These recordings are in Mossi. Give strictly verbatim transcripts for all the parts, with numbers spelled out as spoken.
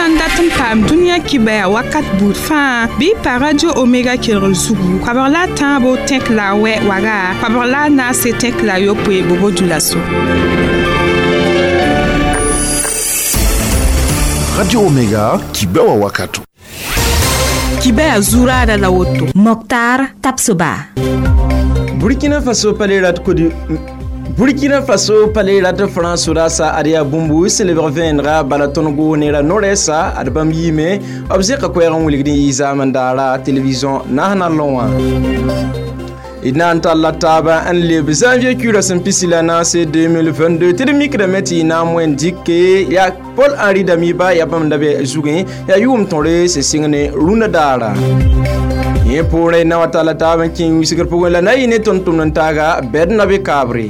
sã n dat n paam dũniyã kibaya wakat buud fãa bɩ pa Radio Omega kelgr zugu koabg la a tãabo tẽk la a wɛ waga koabg la a naase tẽk la a yopoe bobo dulaso. Radio Omega kibewa wakato. Kibaya zurada la woto. Mokhtar Tapsoba. Burkina Faso palerat kodi Burkina Faso palerat France rasa aria bumbu selebr venra balatongo nera noresa adbam yime obzeka kwera wuligni izamandara television nahna loin. Idnan talla taba an leb janvier kura sen pisila na c'est deux mille vingt-deux tedmik meti na moen dikke ya Paul Henri Damiba ya bam dabe zugin ya yum tonre se singne runa dara ye pore na watala taba kin wisigir pogon la nayi ne tontum nan taga bed na be kabre.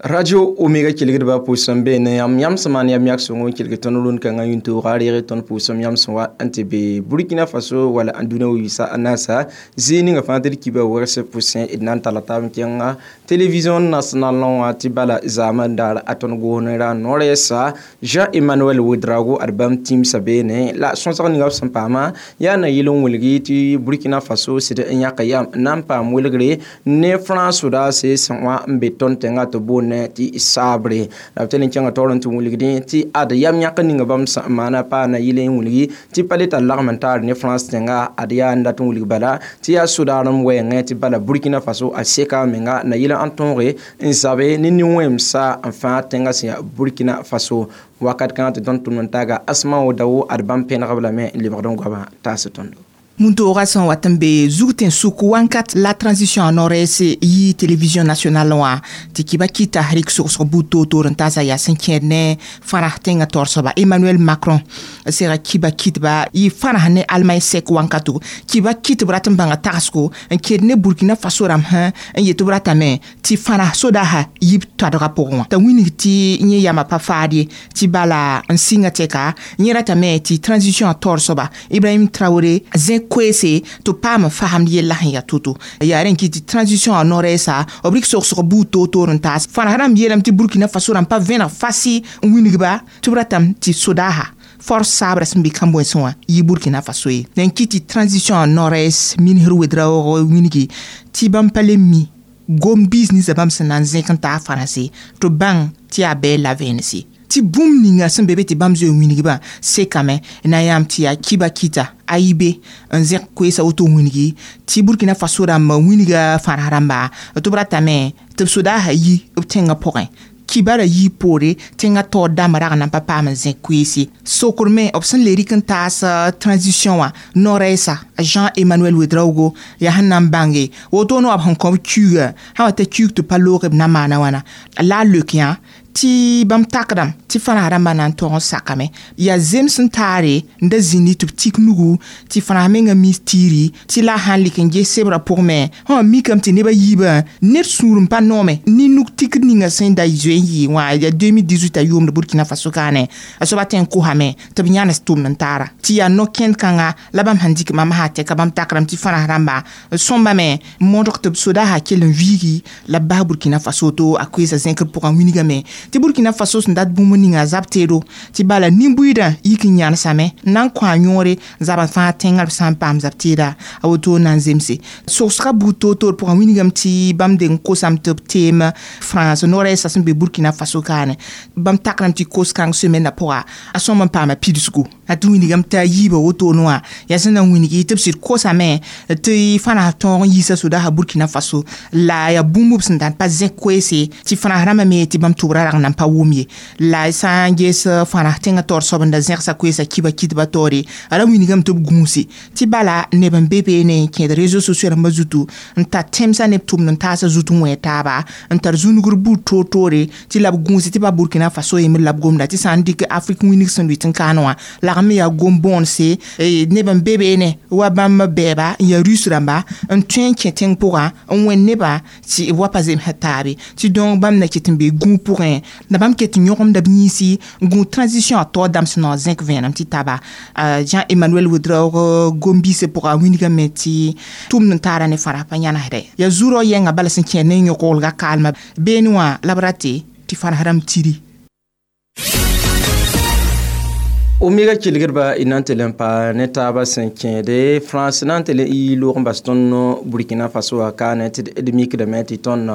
Radio Omega kilgid ba pusam be ne yam yam saman yam yak songo kilgid ton run kan ayun to gari ton pusam yam sonwa antebe Burkina Faso wala anduna wisa anasa zini nga fantir kiba werse pusin idnan talata mkenga television nationale non atibala zaman dar aton gonera noresa Jean Emmanuel Ouedraogo album team sabene la sonsa ni ngap sampama ya na yilon wulgi ti Burkina Faso sida nyaka yam nampa mulgre ne France da se sanwa mbeton tenga to bon ti sabre la tele changa toron tu wulgi ti ad yam nyaka ninga bam mana pa na yile wulgi ti paleta lagmentar ne France tenga ad ya nda tu wulgi bala ti ya sudaram we ti bala Burkina Faso a seka menga na yile antonre nsabe ni ni wemsa enfin tenga sia Burkina Faso wakat kan te don tuntaga asma odawo adbam pen rabla me liberdon gaba tasetondo. Muntu sẽn wat n be zug tẽn-sʋk wãnkat la transition a nord-est yi télévision nationale wã tɩ kɩba kɩta rɩk sogsg buud toor-toor n taasa yaa sẽn kẽed ne fãrã tẽngã taoor soaba Emmanuel Macron sega kiba kitba yɩ fãrã ne Allemagne sɛk wãnkato kiba kitb rat n bãnga tagsgo n kẽed ne Burkina Faso rãmb sã n yet tɩ b ratame tɩ fãrã sodaasã yib toadgã pʋgẽ wã t'a wilg tɩ yẽ yamã pa faad ye tɩ bala n sɩnga tɛka yẽ ratame tɩ transition a taoor soaba Ibrahim Traoré zẽ koeese tɩ paam fasamd yella sẽn yaa to-to yaa rẽn kɩ tɩ transition a nord-est b rɩk sogsg buud toor-toor n taas fãrã rãmb yeelame tɩ Burkina Faso rãmb pa vẽneg fasi n wilgba tɩ b ratame tɩ sodaasa force sabrã sẽn be kãn-bõensẽ wã yɩ Burkina Faso ye rẽn kɩ tɩ transition a nord-est minisr Ouedraogo wilgi tɩ bãmb pa le mi gom biis ninsã bãmb sẽn na n zẽk n taa fãrãse tɩ bãng tɩ yaa bɛɛl la vẽenese tɩ bũmb ninga sẽn be be tɩ bãmb zoe wilgbã sekame na yãmb tɩ yaa kiba kɩta a yi be n zẽk koeesa woto wilgi tɩ Burkina Faso rãmb wilga fãrã rãmba tɩ b ratame tɩ b sodaasã yi b tẽngã pʋgẽ kibara yi poore tẽngã taoor dãmb rag na n pa paam n zẽk koeese sokr me b sẽn le rɩk n taas transition wã nord-est Jean Emmanuel Ouedraogo yaa sẽn na n bãnge woto no b sẽn kõ b kiuugã sã wa t'a kiuug tɩ pa loog b na maana wãna la a leok yã tɩ bãmb takdame tɩ fãrã rãmbã na n tog n sakame yaa zems n taare n da zĩndi tɩ b tik nugu tɩ fãrã mengã mis tiiri tɩ la a sãn lɩk n ges sebrã pʋgẽ me sã wã mikame tɩ nebã yiibã ned sũur n pa noome ne nug tikd ninga sẽn da zoe n yɩ wã yaa deux mille dix-huit a yʋʋmd Burkina Faso kaane a soaba tõe n kosame tɩ b yãnes tʋmd n taara tɩ yaa no-kẽnd kãnga la bãmb sẽn dɩk mam sã tɛka bãmb takrame tɩ fãrã rãmba sõmbame modg tɩ b sodaasã kell n viigi la b bas Burkina Faso to a koeesa zẽkr pʋgã wilgame tɩ Burkina Faso sẽn dat bũmb ninga zab teedo tɩ bala nin-buiidã yik n yãnesame n na n kõ a yõore zabã fãa tẽngã b sã n paam zab teeda a woto na n zemse sogsga buud toor-toor pʋgã wilgame tɩ bãmb deng kosame tɩ b teem France nord-est sẽn be Burkina Faso kaane bãmb takrame tɩ kos-kãng semaine pʋga a sõm n paama pidsgo a tɩ wilgame t'a yiibã woto wã yaa sẽn na n wilgi tɩ b sɩd kosame tɩ fãrã tõog n yiisa sodaasã Burkina Faso la yaa bũmb b sẽn dãn pa zẽk koeese tɩ fãrã rãmbã me tɩ bãmb tʋbrã rag na n pa wʋm ye la sã n ges fãrã tẽngã taoor soab n da zẽgsa koeesa kiba kitba taoore a ra wilgame tɩ b gũuse tɩ bala neb n be beene n kẽed réseaux sociaux rãmbã zutu n tar tẽmsã neb tʋmd n taasã zut n wẽ taaba n tar zũnugr buud toor-toore tɩ la b gũuse tɩ pa Burkina Faso yembr la b gomda tɩ sã n dɩk Afrique wilg sẽn lʋɩt n kaan wã lagm me yaa gom-bõonse neb n be beene wa bãmb bɛɛba n yaa Russe rãmba n tõe n kẽ tẽng pʋgã n wẽnd nebã tɩ b wa pa zemsã taabe tɩ donc bãmb na ket n be gũug pʋgẽ La bãmb ket n yõgemda b yĩnsi n gũ transition a taoor dãmb sẽn na zẽk vẽenem tɩ taba. Jean Emmanuel Ouedraogo gom-biisã pʋga a wilgame tɩ tʋmd n taara ne fãra pa yãnesda yaa zurã yɛnga bala sẽn kẽer ne yõk-wolga kaalmã beene wã la b rate tɩ fãrs rãmb tiri. Omega kelgdba y na n tɩ le n pa ne taabã sẽn kẽede France na n tɩ le y loog n bas tõnd Burkina Faso wã kaane tɩ d mikdame tɩ tõnd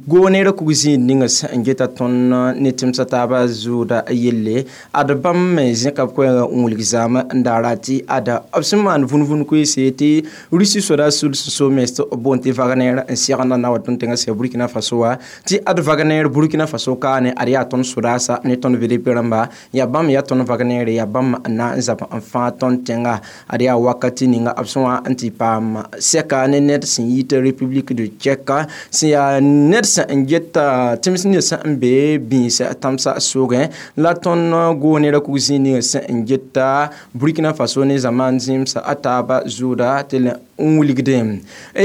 goo neerã kug zĩig ninga sẽn geta tõnd ne tẽmsã taabã zʋʋda yelle ad bãmb me zẽka b koɛɛgã n wilg zaamã n daara tɩ ada b sẽn maan vũn-vũn koeese tɩ Russie soda sul sẽn so mens tɩ b boond tɩ Wagner n segenda na wa tõnd tẽngã sã Burkina Faso wã tɩ ad Wagner Burkina Faso kaane ad yaa tõnd sodaasa ne tõnd V D P rãmba yaa bãmb yaa tõnd Wagner ya bãmb na n zab n fãa tõnd tẽnga ad yaa wakati ninga b sẽn wa n tɩ paam sɛka ne ned sẽn yit République de Tchèque sẽn yaa ned sẽn n geta tẽms ned sẽn n be bĩis tãmsã sogẽ la tõnd goo nera kug zĩig ninga sẽn n geta Burkina Faso ne zamaan zĩmsa a taaba zʋʋda tɩ le n wilgdẽ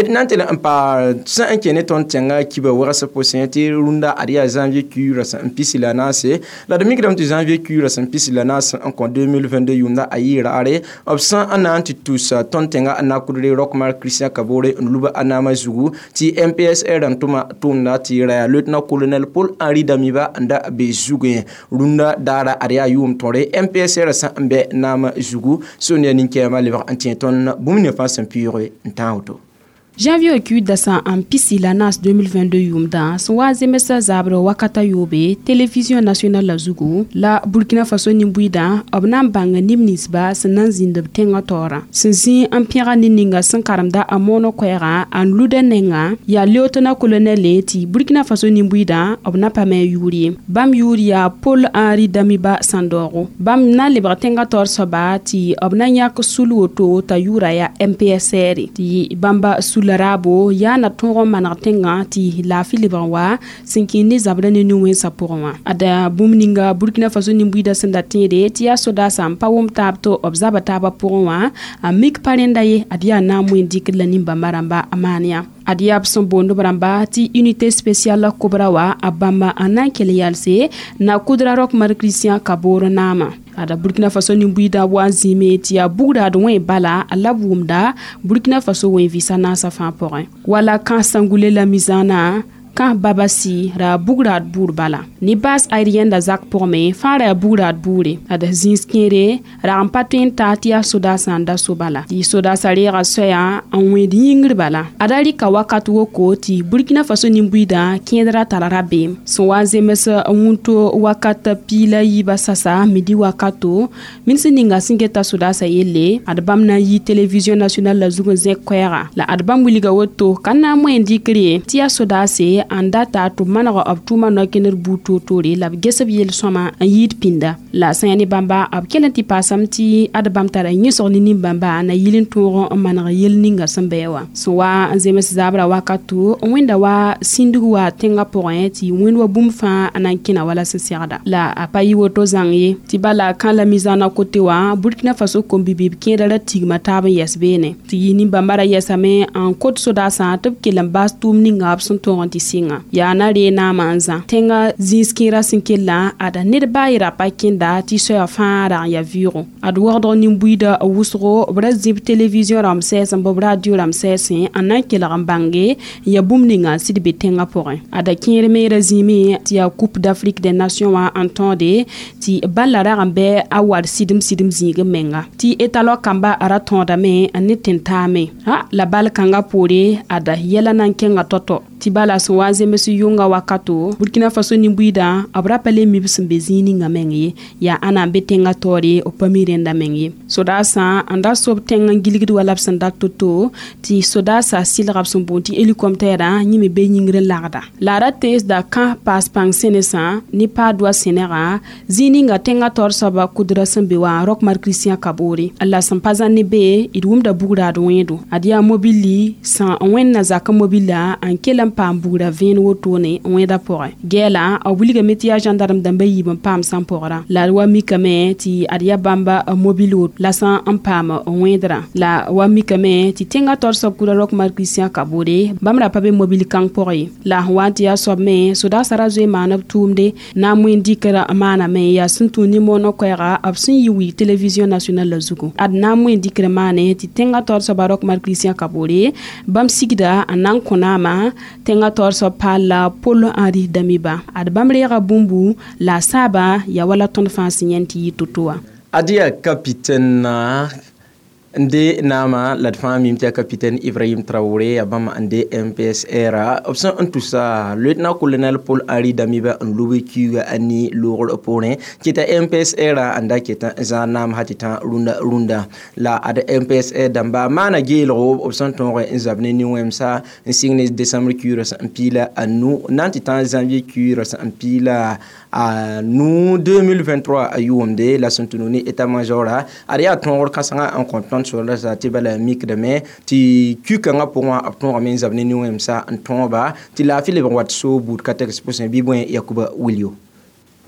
d na n tɩ le n pa sẽn n kẽ ne tõnd tẽngã kiba wegs pʋsẽ tɩ rũndã ad yaa janvier kuiirã sẽn n pisi la naase la d mikdame tɩ janvier kuiirã sẽn pisi la naase n kõ deux mille vingt-deux yʋʋmda a yɩ raare b sẽn n na n tɩ tus tõnd tẽngã n na kudre Roch Marc Christian Kabore n luba a naamã zugu tɩ M P S R n tʋma tʋʋmda tɩ ra yaa lieutenant colonel Paul Henri Damiba n da be zugẽ rũndã daara ad yaa yʋʋm tõre M P S R sẽn n bɛ naamã zugu sũn yaa nin-kɛɛmã lebg n tẽ tõnd bũmb ne fãa sẽn pʋʋge n tã woto. Janvier kuiir dasã n pisi la naas deux mille vingt-deux yʋʋmdã sẽn wa zemsã zabrã wakata yoobe télévision nationale la zugu la Burkina Faso nin-buiidã b na n bãnga neb ninsba sẽn na n zĩnd b tẽngã taoorã sẽn zĩ n pẽga ned ninga sẽn karemda a moonã koɛɛgã n luda nengã yaa lieutenant colonel tɩ Burkina Faso nin-buiidã b na pa me a yʋʋr ye bãmb yʋʋr yaa Paul Henri Damiba Sandogo bãmb na n lebg tẽngã taoor soaba tɩ b na yãk sul woto t'a yʋʋra yaa M P S R tɩ bãmba sul raabo yaa na tõog n maneg tẽngã tɩ laafɩ lebg n wa sẽn kẽ ne zabrã ne nin-wẽnsã pʋgẽ wã ada bũmb ninga Burkina Faso nin-buiidã sẽn da tẽede tɩ yaa sodaasã n pa wʋm taab tɩ b zaba taabã pʋgẽ wã a mik pa rẽnda ye ad yaa na n moẽ dɩkd la nin-bãmba rãmba a maan yã ad yaa b sẽn boond b rãmba tɩ unité spéciale kobra wa a bãmba n na n kell yalse na kudra Roch Marc Christian Kabore naamã ada Burkina Faso nin-buiidã wa n zĩime tɩ yaa bugrad wẽ bala la b wʋmda Burkina Faso wẽ vɩsa naasã fãa pʋgẽ wala kã sãngule la mizaanã kã babasi ra bugrad buur bala ne base aérienne la zak pʋgme fãa ra yaa bugrad buure ad zĩis kẽere rag n pa tõe n taa tɩ yaa sodaasã n da so bala tɩ sodaasã reega soɛyã n wẽed yĩngr bala ada rɩka wakat woko tɩ Burkina Faso nin-buiidã kẽedrã tara rabeem sẽn wa n zems wũnto wakat piig la yiibã sasa midi wakato min sẽn ninga sẽn geta sodaasã yelle ad bãmb na n yi télévision nationale la zug n zẽk koɛɛga la ad bãmb wilga woto ka na n moẽ n dɩkr ye tɩ yaa sodaase n data tɩ b maneg b tʋʋma no-kẽnder buud toor-toore la b ges b yel-sõma n yɩɩd pĩnda la sã yaa ne bãmba b kell n tɩ paasame tɩ ad bãmb tara yẽsg ne nin-bãmba na yɩl n tõog n maneg yel ninga sẽn bɩ wã sẽn wa n zems zabrã wakato n wẽnda wa sĩndg wa tẽngã pʋgẽ tɩ wẽnd wa bũmb fãa n na n kẽna wala sẽn segda la a pa yɩ woto zãng ye tɩ bala kã la mizaanã kote wã Burkina Faso kom-bibib kẽedã ra tigma taab n yɛs beene tɩ yɩ nin-bãmba ra yɛsame n kot sodaasã tɩ b kell n baas tʋʋm ninga b sẽn tõog n tɩ sɩnga yaa na ree naamã n zã tẽngã zĩis kẽerã sẽn kellã ada ned baa yera pa kẽnda tɩ soɛa fãa rag n yaa vɩʋʋgo ad wogdg nin-buiidã wʋsgo b ra zĩb télévision rãmb sɛɛsẽ bɩ b radio rãmb sɛɛsẽ n na n kelg n bãnge n yaa bũmb ninga n sɩd be tẽngã pʋgẽ ada kẽer me ra zĩime tɩ yaa Coupe d'Afrique des Nations wã n tõode tɩ balla rag n bɩ a war sɩdem sɩdem zĩig n menga tɩ étalon kamba ra tõodame n ne tẽn-taame la bal kãngã poore ada yɛla na n kẽnga tɔ-tɔ tɩ bala sẽn wa n zems yʋnga wakato Burkina Faso nin-buiidã b ra pa le mi b sẽn be zĩig ninga meng ye yaa ãna n be tẽngã taoore b pa mi rẽnda meng ye sodaasã n da sob tẽng n gilgd wala b sẽn dat to-to tɩ sodaasã sɩlga b sẽn boond tɩ hélicoptère yẽ me be yĩngr n lagda la a ra teesda kã paas pãng sẽnesã ne paa-doa sẽnegã zĩig ninga tẽngã taoor soaba kudrã sẽn be wã Roch Marc Christian Kabore la sẽn pa zãn ne be d wʋmda bugraad wẽedo ad yaa mobili sã n wẽnna zakã mobila n kell n n paam bugra vẽen wotone wẽeda pʋgẽ gɛɛla b wilgame tɩ yaa gendarme dãmba yiib n paam sãn pʋgrã la d wa mikame tɩ ad yaa bãmba mobile wot la sã n paam wẽedrã la wa mikame tɩ tẽngã taoor soab kura Roch Marc Christian Kabore bãmb ra pa be mobile kãng pʋgẽ ye la sẽn wa n tɩ yaa soab me sodaasã ra zoe maan b tʋʋmde na n wẽn dɩkra maaname yaa sẽn tũ nin-moonã koɛɛga b sẽn yi wi télévision nationale la zugu ad na n wẽn dɩkr maane tɩ tẽngã taoor soaba Roch Marc Christian Kabore bãmb sigda n na n kõ naama tẽngã taoor soab paal la Paul Henri Damiba ad bãmb reega bũmbu la a saaba yaa wala tõnd fãa sẽn yãend tɩ yɩ to-to wã Adia capitaine n de naama la d fãa mim tɩ yaa capitaine Ibrahim Traoré yaa bãmb n de M P S R b sẽn n tusa lieutenant colonel Paul Henri Damiba n lob kiuga a ni loogr poorẽ kɩta M P S R n da ket n zãag naam sã tɩ tã rũndã rũndã la ad M P S R dãmba maana geelgo b sẽn tõog n zab ne nin-wẽmsa n sɩng ne décembre kiugrã sẽn piila a nu na n tɩ tã janvier kiugrã sẽn piila a nu deux mille vingt-trois a yʋʋmde la sẽn tũ ne état major ad yaa tõogr kãsengã n kõ tõnd sorda za tɩ bala mikdame tɩ ku-kãngã pʋgẽ b tõogame n zab ne nin-wẽmsa n tõoba tɩ laafɩ leb n wat so buud ka tɛgs pʋsẽ bɩ bõe Yakuba Wilio.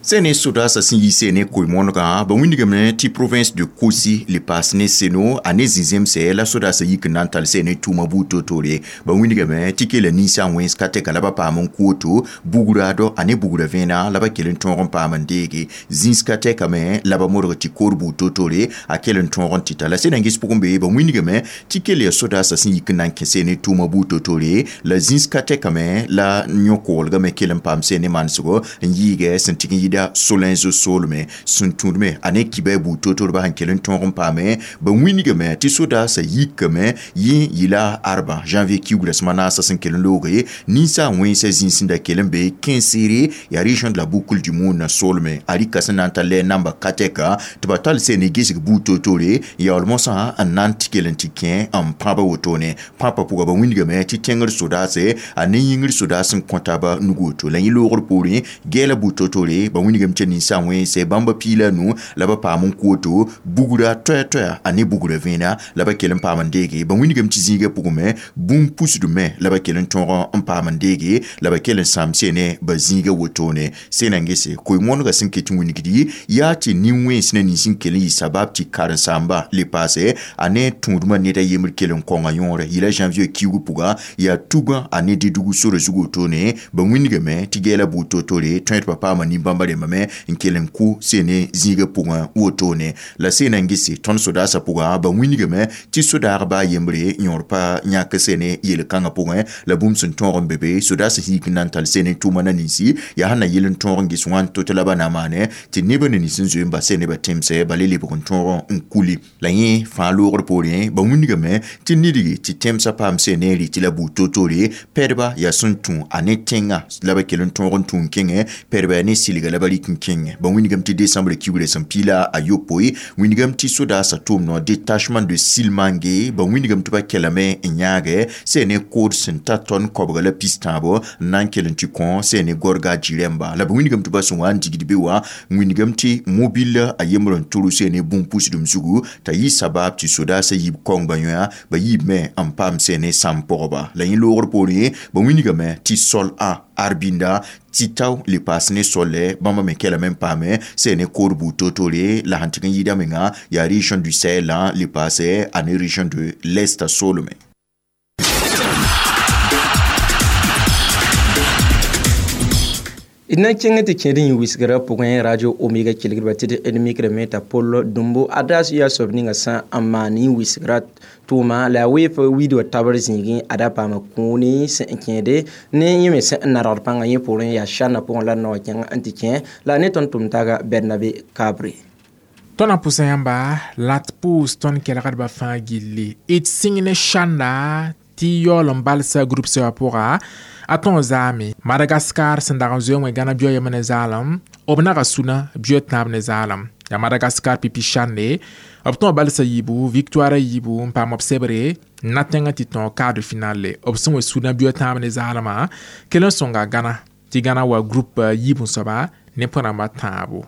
Sene sodaasã sẽn yi sene koe-moonegã ba wĩndgame tɩ province de Kosi le paas ne Seno a ne zĩ-zemse la sodaasã yik n na n tall sene tʋʋma buud toor-toore ba wĩndgame tɩ kela ninsã wẽns ka tɛka la ba paam n koto bugrado a ne bugrã vẽena la ba kell n tõog n paam n deege zĩns ka tɛkame la ba modg tɩ koor buud toor-toore a kell n tõog n tɩta la sẽn na n ges pʋgẽ be ba wĩndgame tɩ kell yaa sodaasã sẽn yik n na n kẽ sene tʋʋma buud toor-toore la zĩns ka tɛkame la yõ-koglgame kell n paam sene manesgo n yɩɩgɛ sẽn tɩg n yɩda solenzo solme sẽn tũudme a ne kibɛ buud toor-toorba sẽn kell n tõog n paame ba wĩndgame tɩ sodaasã yikame yẽ yɩla arba janvier kiugrã sẽma naasã sẽn kell n looge ninsã wẽnsã zĩns sẽn da kell n be Kɛ̃nsere yaa région de la Boucle du Moun solme a rɩka sẽn na n ta lɛ namba ka tɛka tɩ ba tall sene gesg buud toor-toore yaool mosã n na n tɩ kell n tɩ kẽ n pãba wotone pãpã pʋga ba wĩndgame tɩ tẽngr sodaase a ne yĩngr sodaas n kõ taaba nug woto la yẽ loogr poorẽ gɛɛla buud toor-toore ba wĩndgame tɩ ninsã wẽnse bãmba piila nu la ba paam n koto bugra toɛ-toɛa a ne bugra vẽena la ba kell n paam n deege ba wĩndgame tɩ zĩigã pʋgẽ bũmb pusdme la ba kell n tõog n paam n deege la ba kell n sãam sene ba zĩigã wotone sẽn na n gese koe-moonegã sẽn ket n wĩndgdi yaa tɩ nin-wẽns ne nins n kell n yɩ sabab tɩ karen-saamba le paase a ne tũudmã ned a yembr kell n kõnga yõore yɩla janvier kiugu pʋga yaa tugã a ne dɩdg sora zug wotone ba wĩndgame tɩ gɛɛla buud toor-toore tõe tɩ ba paama nin-bãmba rẽmbame n kell n kʋ sene zĩigã pʋgẽ wotone la sẽn na n gese tõnd sodaasã pʋga ba wĩndgame tɩ sodaagba a yembre yõor pa yãk sene yel-kãngã pʋgẽ la bũmb sẽn tõog n be be sodaasã yik n na n tall sene tʋʋma na ninsi yaa sẽn na yɩl n tõog n ges wãn to-to la ba na maane tɩ neb ne nins n zoe n bas ne ba tẽmsɛ ba le lebg n tõog n kuli la yẽ fãa loogr poorẽ ba wĩndgame tɩ nidgi tɩ tẽmsã paam sene n rɩ tɩ la buud toor-toore pɛdba yaa sẽn tũ a ne tẽngã la ba kell n tõog n tũ n kẽngẽ pɛdba yaa ne sɩlga la ba rɩk n kẽngẽ ba wĩndgame tɩ décembre kiugrã sẽn piila a yopoe wĩndgame tɩ sodaasã tʋʋm no détachement de Silmangue ba wĩndgame tɩ ba kelame n yãagɛ sene kood sẽn ta tõnd koabga la pis tãabo n na n kell n tɩ kõ sene gorga jirɛmba la ba wĩndgame tɩ ba sẽn wa n digd be wã wĩndgame tɩ mobile a yembr n tʋr sene bũmb pusdem zugu t'a yɩ sabab tɩ sodaasã yiib kaongã yõa ba yiibme n paam sene sãm pʋgba la yẽ loogr poorẽ ba wĩndgame tɩ sol a arbinda tɩ tao le paas ne solle bãmba me kelame n paame sene kood buud toor-toore la sẽn tɩg n yɩɩda menga yaa région du Sahel le paase a ne région de l'Est solme. D na n kẽng tɩ kẽed n yĩ wisgrã pʋgẽ Radio Omega kelgdba tɩ d mikrame t'a Pol Dũmbo adaas yaa soab ninga sã n maan yĩ wisgrã tʋʋma la a weef wiid wa tabr zĩigẽ ada paama kũuni sẽn kẽede ne yẽ me sẽn n nadgd pãngã yẽ poorẽ yaa sãnna pʋgẽ la nao kẽng n tɩ kẽ la ne tõnd tʋm taaga Bernabe Kabre. Tõnd na pʋsa yãmba la d pʋʋs tõnd kelgdbã fãa gilli d sĩng ne sãnda tɩ yaool n balsa groupe sɛwã pʋga a tõog zaame Madagaskar sẽn dag n zoe wẽ gãna bio yem ne zaalem b naga sũna bio tãab ne zaalem yaa Madagaskar pipi sãnde b tõog balsa yiibu victoire yiibu n paam b sebre n na tẽngã tɩ tõog quart de finale b sẽn wa sũna bio tãab ne zaalmã kell n sõnga Gãna tɩ Gãna wa groupe yiib n soaba ne põ rãmbã tãabo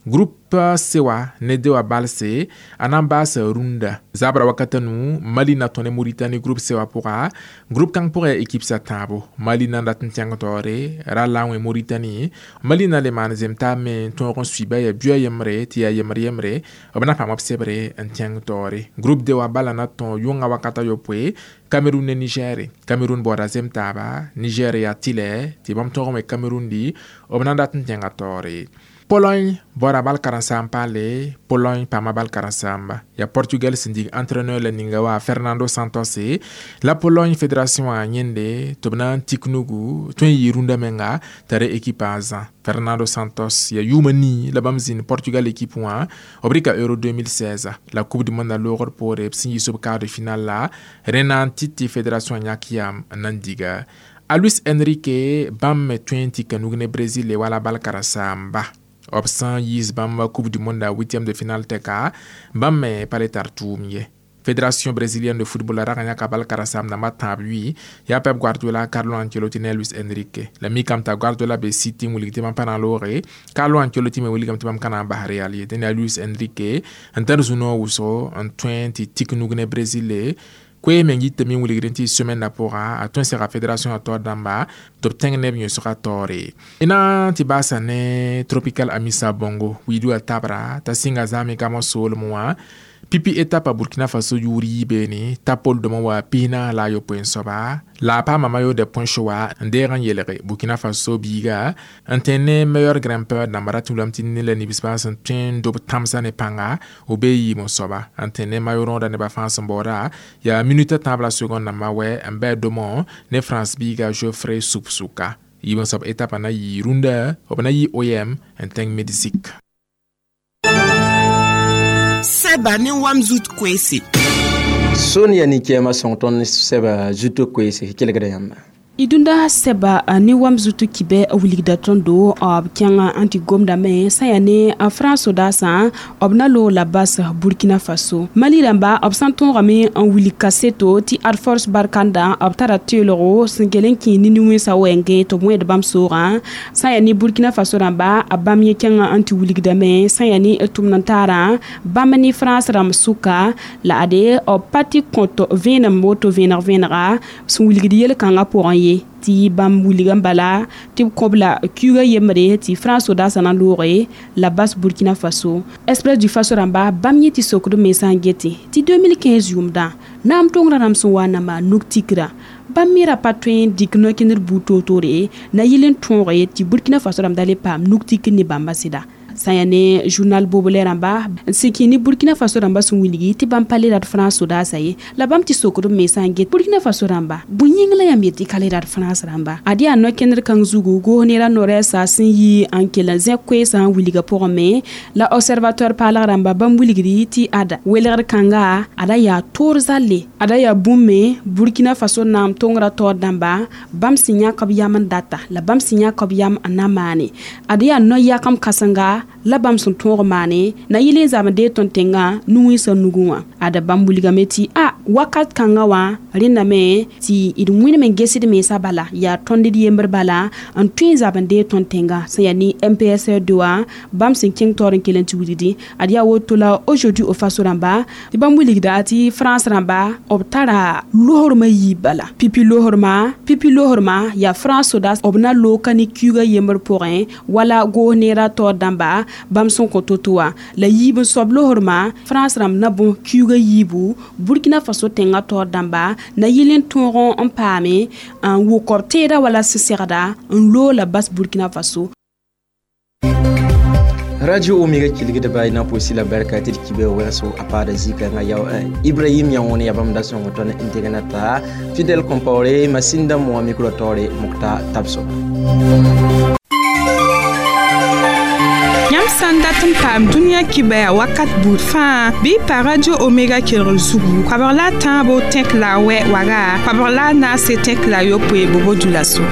Groupe C wã ne D wã balse a na n baasa rũndã zabra wakata nu Mali na tõe ne Mauritanie groupe C wã pʋga. Groupe kãng pʋgã yaa équipe sa tãabo. Mali na n dat n tẽng taoore ra la n wẽ Mauritanie. Mali na le maan zem taab me n tõog n suiba yaa buɩ a yembre tɩ yaa yembre yembre b na paam b sebre n tẽng taoore. Groupe D wã bala na tõog yʋngã wakata yopoe Cameroun ne Niger. Cameroun baooda zem taaba, Niger yaa tɩlɛ tɩ bãmb tõog n wẽ Cameroun di b na n dat n tẽnga taoore. Pologne bɔra bal karen-saam paale. Pologne paama bal karen-saamba yaa Portugal sẽn dig entraîneur la ninga wa Fernando Santos la Pologne fédération wã yẽnde tɩ b na n tik nugu tõe n yɩ rũndã menga t'a re équipe a zã. Fernando Santos yaa yʋʋma nii la bãmb zĩnd Portugal équipe wã b rɩka Euro deux mille seize la Coupe du monde a loogr poore b sẽn yiis b quart de finale la rẽ na n tɩ tɩ fédération yãk yam n na n diga a Luis Enrique. Bãmb me tõe n tika nug ne Brésil wala bal karen-saamba b sẽn yiis bãmb Coupe du monde a huitième de finale tɛka bãmb me pa le tar tʋʋm ye. Fédération brésilienne de football rag n yãka bal karen-saam dãmbã tãab yʋɩ yaa Pep Guardiola, Carlo Ancelotti ne Luis Enrique. La mikame t'a Guardiola be City n wilg tɩ bãmb pa na n looge, Carlo Ancelotti me wilgame tɩ bãmb ka na n bas Real ye. Dẽn yaa Luis Enrique n tar zu-noog wʋsgo n tõe n tɩ tik nug ne Brésil. Koe meng yitame n wilgd tɩ semaine na pʋga a tõe n sega fédération a taoor dãmba tɩ b tẽng neb yõsga taoore. Y na n tɩ baasa ne Tropical Amissa Bongo wiidu a tabra t'a sɩnga zame gamo soolem wã pipi étape a Burkina Faso yʋʋr yii beene tapol dõmã wa pisnaas la a yopoe n soaba la a paama maillot de points wa n deeg n yelge Burkina Faso biiga n tẽ ne meilleur grimpeur dãmba ra tɩ wilame tɩ ne la nibsbã sẽn tõe n dob tãmsã ne pãnga b bee yiim n soaba n tẽ ne maillot rõoda nebã fãa sẽn baooda yaa minute tãab la seconde dãmbã wɛ n bɩ domõ ne France biiga Geoffrey Supsuka yiib n soab étape na yɩ rũndã b na yɩ O I M n tẽng Mexique. Sɛba ne wam zut koeese. Sonia ni kɛɛma sõng tõnd sɛba zuto koeese kelgda yãmba. Y dũnda sɛba ne wam zutu kibɛ wilgda tõndo b kẽng n tɩ gomdame sã yaa ne France sodaasã b na loog la bas Burkina Faso. Mali rãmba b sã n tõogame n wilg kaseto tɩ ad force barkanda b tara teelgo sẽn kell n kẽ nini-wẽnsã wɛɛngẽ tɩ b wẽed bãmb soogã. Sã yaa ne Burkina Faso rãmba bãmb yẽ kẽng n tɩ wilgdame sã yaa ne tʋmd n taarã bãmb ne France rãmb sʋka la ade b pa tɩ kõt vẽenem woto vẽeneg vẽenega sẽn wilgd yel-kãngã pʋgẽ ye tɩ bãmb wilg n bala tɩ b kõb la kiuga yembre tɩ France sodaasã na looge la bas Burkina Faso. Express du Faso rãmba bãmb yẽ tɩ sokd mensã n gete tɩ deux mille quinze yʋʋmdã naam tongrã rãmb sẽn wa n na maan nug tikra bãmb me ra pa tõe n dɩk no-kẽndr buud toor-toore na yɩl n tõoge tɩ Burkina Faso rãmb da le paam nug tikr ne bãmba sɩda. Sã yaa ne journal Bobolɛ rãmba n sẽn kẽ ne Burkina Faso rãmba sẽn wilgi tɩ bãmb pa le rat France sodaasã ye la bãmb tɩ sokd b mensã n get Burkina Faso rãmba bõe yĩng la yãmb yet tɩ ka le rat France rãmba ad yaa no-kẽndr kãng zugu goos nera no-rɛɛsa sẽn yi n kell n zẽk koeesã n wilga pʋgẽ me la Observateur paalg rãmba bãmb wilgdi tɩ ada welgr kãnga ada yaa toor zalle ada yaa bũmb me Burkina Faso naam tongrã taoor dãmba bãmb sẽn yãk b yam n data la bãmb sẽn yãk b yam n na maane ad yaa no-yakam kãsenga la bãmb sẽn tõog maane na yɩl n zab n dee tõnd tẽngã nu-wẽnsã nugẽ wã ada bãmb wilgame tɩ a wakat kãngã wã rẽndame tɩ d wẽnem n gesd mensã bala yaa tõnd d yembr bala n tõe n zab n dee tõnd tẽngã sẽn yaa ne M P S R deux wã bãmb sẽn kẽng taoor n kell n tɩ wilgdi ad yaa woto la Aujourd'hui au Faso rãmba tɩ bãmb wilgda tɩ France rãmba b tara losrmã yiib bala pipi losrmã pipi losrmã yaa France sodaas b na loog ka ne kiuga yembr pʋgẽ wala goos neerã taoor dãmba bãmb sẽn kõ to-to wã la yiib n soab losrmã France rãmb na bõs kiuga yiibu Burkina Faso tẽngã taoor dãmba na yɩl n tõog n paame n wʋk b teeda wala sẽsegda n loog la bas Burkina Faso. Radio Omega kilgda bay na posi la barka tɩ d kibe wɛlso a paada zikãngã yao Ibrahim yã wõne ya bãmb da sõng tõnd n degna t'a Fidèle Compaoré masinda moa micro taoore Mokta Tabso. Yãmb sã n dat n paam dũniyã kibɛa wakat buud fãa bɩ y pa Radio Omega kelgr zugu koabg la a tãabo tẽk la a wɛ waga koabg la a naase tẽk la a yopoe bobo dulaso.